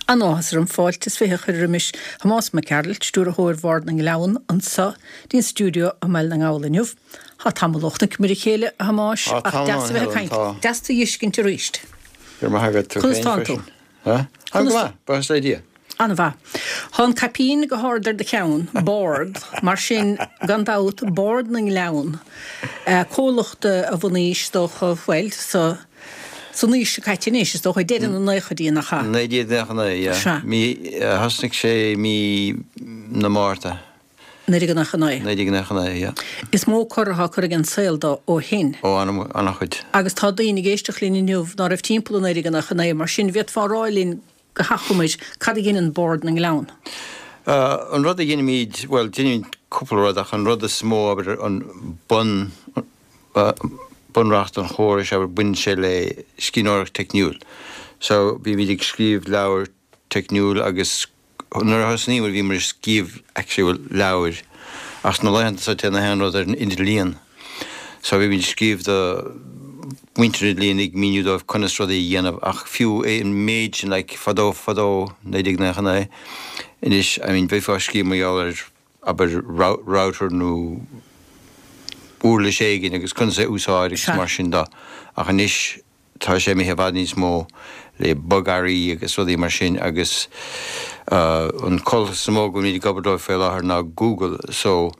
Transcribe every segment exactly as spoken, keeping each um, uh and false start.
An-áthas orm fáilte is fiche a chur roimis Thomás Mac Gearailt, stiúrthóir Bhord na nGleann, anseo dtí'n stiúideo i mBaile na nGall inniu. Tá tamall ó chonaiceamar a chéile, a Thomáis, Tá ach tamall deas a bheith ag Helen, caint. tá. Deas tú a fheiscint arís. Go raibh maith agat tú Conas féin tánn tú? freisin. Ha? Tá go maith, buíochas le Dia. An-mhaith. Tá an caipín go hard ar do cheann, bord, mar sin gan dabht Bord na nGleann. Eh, comhlacht a bunaíodh is dócha, bhuel, sa san aois seo caite anois, is dócha deireadh na naochaidí nach ea. Naoi déag nócha naoi, yeah. Sea. Mí eh, thosnaigh sé mí na Márta, Naoi déag nócha naoi. naoi déag nócha naoi, yeah. Is mó cor atá curtha ag an saol dó ó shin. Ó an- an-chuid. Agus tá daoine ag éisteacht linn inniu ná raibh timpeall i naoi déag nócha naoi, mar sin bhféadfá a rá linn go hachomair cad a dhéanann Bord na nGleann. Uh, an rud a dhéanaimid, well, déanaimid cúpla rud ach an rud is mó abair an bun uh, bunreacht an chórais abair baineann sé le scríbhneoireacht teicniúil. So bímid ag scríobh leabhar teicniúil agus nuair a thosnaíomar bhíomar ag scríobh actual leabhair ach sna laethanta seo téann achan rud ar an idirlíon. So bhímid ag scríobh do mhuintir an idirlíon ag míniú dóibh conas rudaí a dhéanamh ach fiú é an méid sin like, fadó fadó naoi déag nócha naoi. Anois I mean, bheifeá ag scríobh mar gheall ar abair rou- router nó uirlis éigin agus conas é úsáid agus Sea. mar sin de. Ach anois tá sé imithe i bhfad níos mó le bogearraí agus rudaí mar sin agus uh, an comhlacht is mó go bhfuilimid ag obair dóibh faoi láthair ná Google, so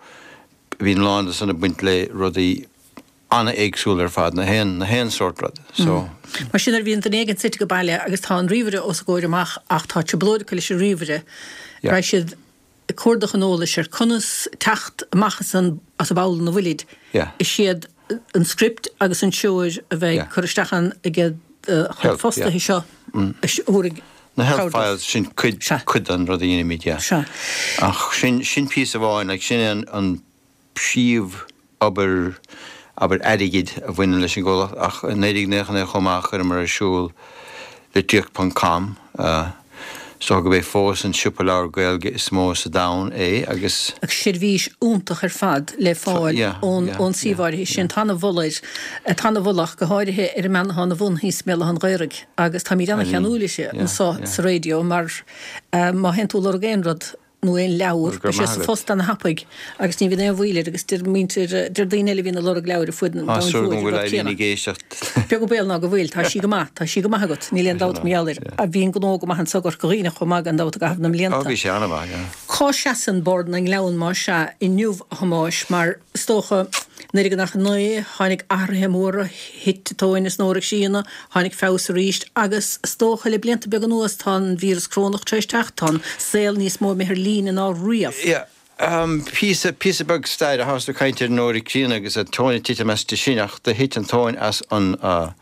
bíonn lán de san ag baint le rudaí an-éagsúil ar fad na haon na haon sórt rud. So Mar sin ar bhíonn duine éigin suite go baile agus tá an ríomhaire os a gcomhair amach ach tá trioblóid acu leis an ríomhaire. Yeah. Raghaidh siad ag cuardach an eolais ar conas teacht amach as an as an bpoll ina bhfuilid. Yeah. Is iad an script agus an treoir a bheidh Yeah. cur isteach an ag Help, fostaithe seo thabharfaidh na help cabhair dóibh. files sin cuid Sea. cuid den rud a dhéanaimid, yeah. Sea. Ach sin sin píosa amháin, like, sin an, an príomh obair abair airgid a bhaineann leis an gcomhlacht ach i naoi déag nócha naoi chomh maith chuireamar ar siúl litríocht.com uh, so go b'é fós an siopa leabhar Gaeilge is mó sa domhan é agus Ach seirbhís iontach ar fad le fáil yeah, ón yeah, ón suíomh áirithe sin tá an-mholadh tá an-mholadh go háirithe ar an mbean atá ina bhun thíos i mBéal Átha an Ghaorthaidh agus táimid an-cheanúil yeah, anseo yeah. sa raidió mar uh, má théann tú ag lorg aon rud nó aon leabhar Go raibh sé maith sa agat. phost an-thapaidh agus ní bhíonn aon mhoill air agus deir muintir deir daoine eile bhíonn ag lorg leabhair ar fud an Á domhain súil go mhóir, bhfuil rud Eileen céanna. ag éisteacht. Beag an baol ná go bhfuil, tá sí go maith, tá sí go maith agat, níl aon dabht mar gheall air. A bhíonn gnó go maith anseo i gCorca Dhuibhne chomh maith gan dabht i gcaitheamh na Á mblianta. bhí sé an-mhaith, yeah. Cá seasann Bord na nGleann mar seo inniu a Thomáis mar is dócha naoi déag nócha naoi tháinig athruithe móra thit an tóin as na Eoraip Síona, tháinig feabhas arís agus is dócha le blianta beaga anuas tá an víreas corónach tar éis teacht, tá an saol níos mó imithe ar líne ná riamh. Yeah. Um, píosa píosa beag staire a thosaigh caint ar an Eoraip Críonna agus an tóin ag titim as sin ach do thit an tóin as an uh,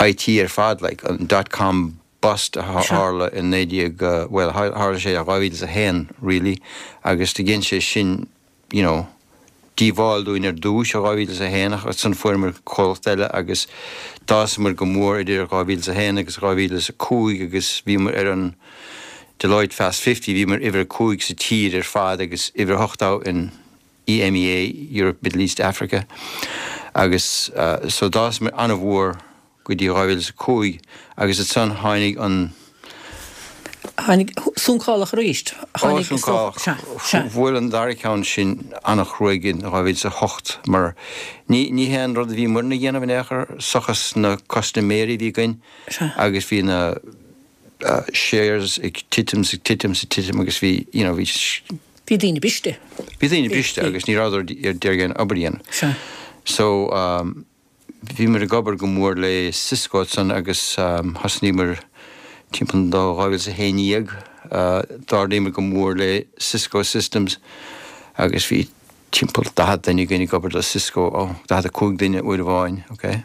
IT ar fad like, an dot com bust a Sure. tharla in naoi déag uh, well tharla sé a dhá mhíle a haon really agus do dhein sé sin you know díobháil dúinn ar dtús a dhá mhíle a haon ach ansan fuaireamar comhlacht eile agus d'fhásamar go mór idir dhá mhíle a haon agus dhá mhíle a cúig agus bhíomar ar an Deloitte Fast Fifty bhíomar uimhir a cúig sa tír ar fad agus uimhir a hocht in EMEA Europe Middle East Africa agus uh, so d'fhásamar an-mhór go dtí dhá mhíle a cúig agus ansan tháinig an Tháinig suncálach arís. Tháinig Tháinig Sea, sea. Bhuail an dara ceann sin an-chruaidh in dhá mhíle a hocht mar ní ní haon rud a bhí muidne a dhéanamh in aon chor seachas na custaiméirí a bhí againn Sea. agus bhí na uh, shares ag titim ag titim ag titim agus bhí you know, bhí Bhí daoine briste. bhí daoine briste bhí. agus ní rabhadar ar d'iarraidh obair a dhéanamh. Sea. So um, bhíomar ag obair go mór le Cisco san agus um, thosnaíomar timpeall do dhá mhíle a haon déag uh, d'ardaíomar go mór le Cisco Systems agus bhí timpeall daichead duine againn ag obair le Cisco ó daichead a cúig duine uair amháin, okay?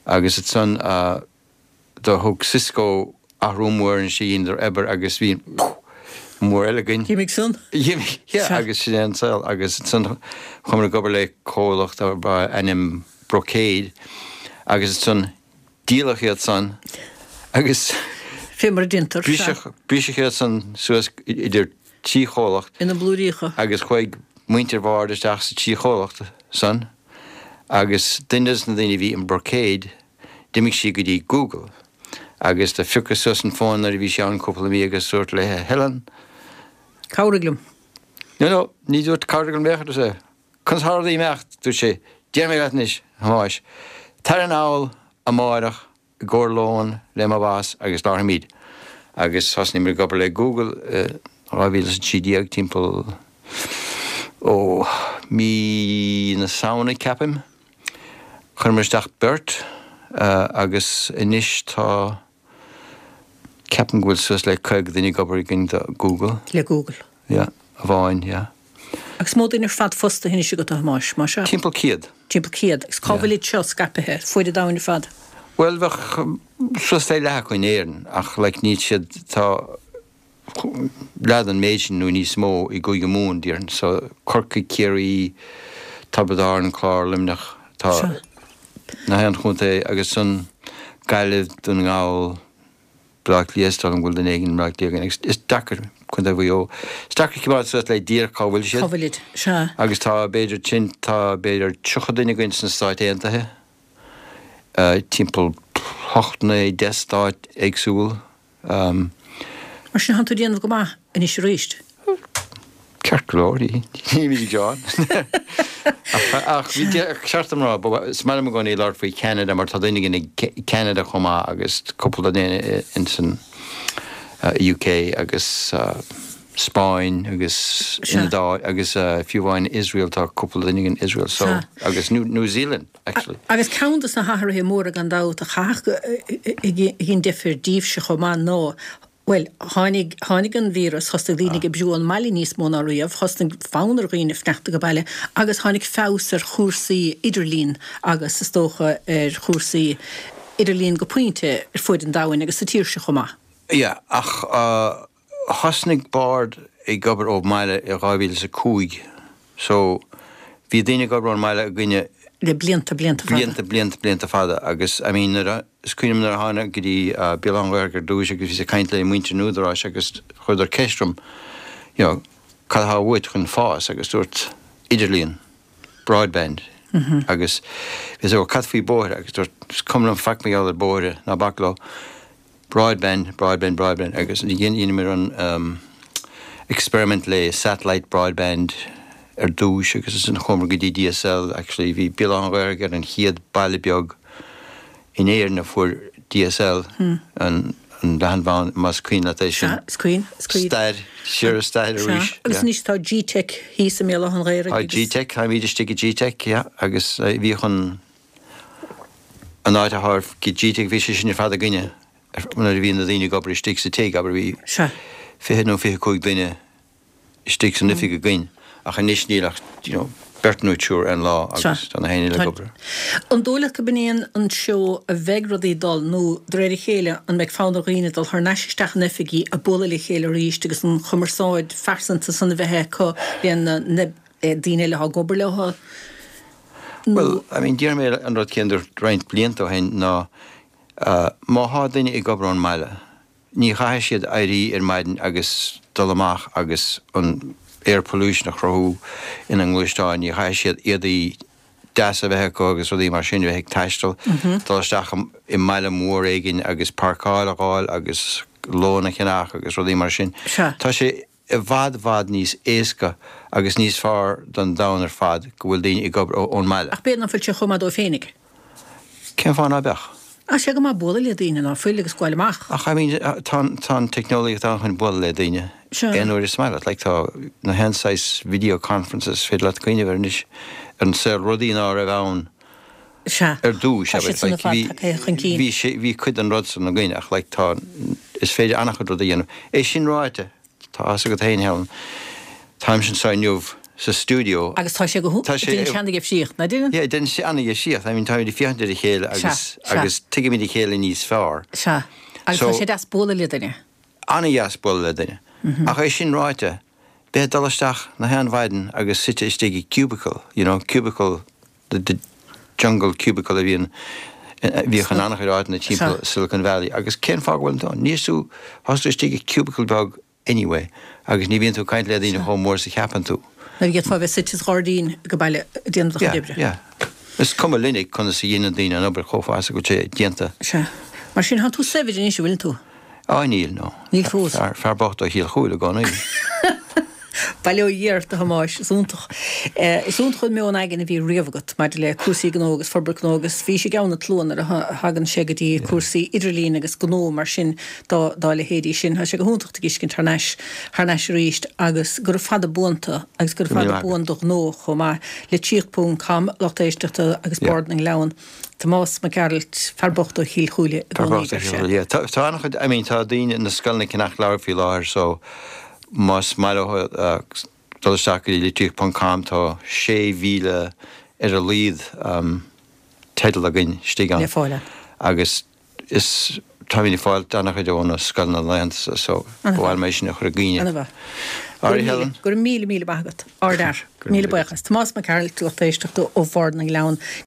Agus ansan uh, do thug Cisco athrú mór an sí ar obair agus bhí mór eile againn. D'imigh san? Yeah, Sea. agus sin é an saol agus ansan chuamar ag obair le comhlacht a ainm Brocade agus ansan díoladh iad san agus Fé mar a déantar. briseadh briseadh iad san suas idir trí chomhlacht Ina blúiríocha. agus chuaigh muintir Bhord isteach sa trí chomhlacht san agus duine de na daoine a bhí in Brocade d'imigh sí go dtí Google Agus do phiocas suas an fón nuair a bhí sé ann cúpla mí agus dúirt léi, Helen. Cabhraigh liom. No, no, ní dúirt cabhraigh liom bheadh sé. Conas tá rudaí ag imeacht, dúirt sé, déarfaidh mé leat anois, a Thomáis. Tar anall amárach i gcomhair lóin le mo boss agus labharfaimid. Agus thosnaíomar ag obair le Google i dhá mhíle is a trí déag timpeall ó mí na Samhna ceapaim. Chuireamar isteach beirt agus anois tá, ceapaim go bhfuil suas le caoga duine ag obair againn do Google. Le Google. Yeah, amháin, yeah. Agus mó duine ar fad fostaithe anois agat a Thomáis, más ea? Timpeall céad. Timpeall céad. Agus cá bhfuil iad seo scaipthe fuaid an domhain ar fad? Bhuel, bheadh suas le leath acu in Éirinn ach like níl siad, tá leath den méid sin nó níos mó i gCúige Mumhan, déarfainn. So Corcaigh, Ciarraí, Tiobraid Árann, Clár, Luimneach, tá na haon chontae agus ansan Gaillimh, Dún na nGall, Baile Átha Cliath, is dóigh liom go bhfuil duine éigin i mBaile Átha Cliath againn agus is deacair, Contae Mhaigh Eo, is deacair coimeád suas le díreach cá bhfuil siad. Cá bhfuil siad, sea. Agus tá b'fhéidir sin, tá b'fhéidir tríocha duine againn sna Stáit Aontaithe, timpeall hocht, naoi, deich stát éagsúil. Mar sin, tánn tú ag déanamh go maith anois arís. Ceart go leor, nílimid ag gearán. Ach bhí ceart dom rá, is maith liom i gcónaí labhairt faoi Cheanada mar tá duine againn i Ceanada chomh maith agus cúpla duine ins an UK agus Spáinn agus an Iodáil agus fiú amháin Israel, tá cúpla duine againn in Israel so agus New Zealand actually. Agus ceann de na hathruithe móra gan dabht a chaithfeadh a dhein difear daoibhse chomh maith ná Bhuel, tháinig, tháinig an víreas, thosnaigh daoine ag oibriú ón mbaile níos mó ná riamh, thosnaigh fonn ar dhaoine fanacht ag baile agus tháinig feabhas ar chúrsaí idirlín agus is dócha ar chúrsaí idirlín go pointe ar fuaid an domhain agus sa tír seo chomh maith. Yeah, ach thosnaigh Bord ag obair ó bhaile i dhá mhíle is a cúig so bhí daoine ag obair ón mbaile againne Le blianta, blianta fada. Blianta, blianta, blianta fada agus I mean nuair a, is cuimhin liom nuair a tháinig go dtí Béal Átha an Ghaorthaidh ar dtúis agus bhíos ag caint le muintir an Údaráis agus chuireadar ceist orm you know cad atá uait chun fás agus dúirt idirlíon, broadband agus bhíos ag cad faoi bóithre agus dúirt is cuma liom faic mar gheall ar bóithre ná bac leo. Broadband, broadband, broadband agus dheineamar an experiment le satellite broadband ar dtúis agus ansin chuamar go dtí DSL actually bhí Béal Átha an Ghaorthaidh ar an chéad baile beag in Éirinn a fuair DSL an an leathanbhanda más cuimhin leat é sin. Sea, is cuimhin, is cuimhin. Stair, siar i stair arís. Sea, agus anois tá Gteic thíos i mBéal Átha an Ghaorthaidh Tá agus. Gteic, táimid istigh i Gteic, yeah, agus bhíodh an an áit atá ag Gteic, bhí sé sin ar fad againne nuair a bhí na daoine ag obair istigh sa tigh, abair bhí Sea. fiche nó fiche cúig duine istigh san oifig againn ach anois níl ach you know beirt nó triúr ar an lá agus tá na héinne eile ag obair. An dóigh leat gurb in é an treo a bheidh rudaí ag dul nó de réir a chéile an mbeidh fonn ar dhaoine dul thar n-ais isteach in oifigí ag bualadh le chéile arís agus an chumarsáid phearsanta san a bheith acu le na daoine eile atá ag obair leo nó. Bhuel, I mean déarfaidh mé an rud céanna roinnt blianta ó shin ná má thá duine ag obair ón mbaile, ní chaithfidh siad éirí ar maidin agus dul amach agus an air pollution a chruthú ina ngluaisteáin, ní chaithfidh siad éadaí deasa a bheith acu agus rudaí mar sin, a bheith ag taisteal, dul isteach i mbaile mór éigin agus páirceáil a fháil agus lón a cheannach agus rudaí mar sin. Tá sé i bhfad bhfad níos éasca agus níos fearr don domhan ar fad go bhfuil daoine ag obair ón mbaile. Ach b'fhéidir nach bhfuil sé chomh maith dóibh féinig. Cén fáth ná beadh? Tá sé go maith bualadh le daoine ná fuil agus gabháil amach. Ach I mean tá tá an teicneolaíocht ann chun bualadh le daoine aon uair is maith leat. Like tá na haon saghas video conferences is féidir leat cuimhneamh air anois ar an saol rudaí ná raibh ann Sea. ar dtús Tá abair siad san ar like fad bhí tagtha chun cinn. bhí sé bhí cuid den rud san againn ach like tá is féidir an-chuid rud a dhéanamh. É sin ráite tá a fhios agat féin Helen táimse anseo inniu sa stiúideo. Agus tá sé go Tá sé déanann sé ana-dhifríocht, ná déanann? Yeah, déanann sé ana-dhifríocht. I mean, táimid ag féachaint ar a chéile agus Sea, sea. agus tuigimid a chéile níos fearr. Sea. Agus So tá sé deas bualadh le duine. Ana-dheas bualadh le duine. Ach é sin ráite, bheith ag dul isteach na haon mhaidin agus suite istigh i cubicle, you know, cubicle, the, the jungle cubicle a bhíonn bhíodh in an-chuid áiteanna timpeall Sea. Silicon Valley. Agus cén fáth go bhfuil tú ann? Níl tú, tá tú istigh i cubicle beag anyway agus ní bhíonn tú ag caint le daoine chomh mór is a cheapann tú. Nuair a d'fhéadfá bheith suite sa ghairdín ag baile ag déanamh do chuid Yeah, oibre. yeah. Is cuma linne conas a dhéanann daoine an obair chomh fada is go bhfuil sé déanta. Sea. Mar sin tá tú saibhir anois an bhfuil tú? Á níl no. Níl fós. Fear, fear bocht ó Chill Chúile i gcónaí. Bail ó Dhia ort a Thomáis, is iontach. Eh, is iontach an meon aigne a bhí riamh agat maidir le cúrsaí gnó agus forbairt gnó agus bhí sé i gceann na tslua nuair a thagann sé go dtí cúrsaí idirlín agus gnó mar sin dá, dá leithéidí sin. Tá sé go hiontach tú a fheiscint thar n-ais, thar n-ais arís agus gura fada buan tú agus gura fada buan do ghnó chomh maith litríocht ponc com lucht éisteachta agus Bord na nGleann. Tomás Mac Gearailt, fear bocht ó Chill Chúile i gcónaí, deir sé. Yeah, tá tá an-chuid, I mean, tá daoine na scoileanna ag ceannach leabhar faoi láthair so más maith leo uh, dul isteach go dtí litríocht ponc com tá sé mhíle ar a laghad um, teideal againn istigh ann. Le fáil ann. Agus is táimid ag fáil an-chuid ó na scoileanna laethanta so An-mhaith. ba mhaith liom é sin a chur i gcuimhne. An-mhaith. Alright, Helen. Go raibh míle míle maith agat. Ardfhear. Go raibh Míle míle buíochas. Tomás Mac Gearailt lucht éisteachta ó Bhord na nGleann.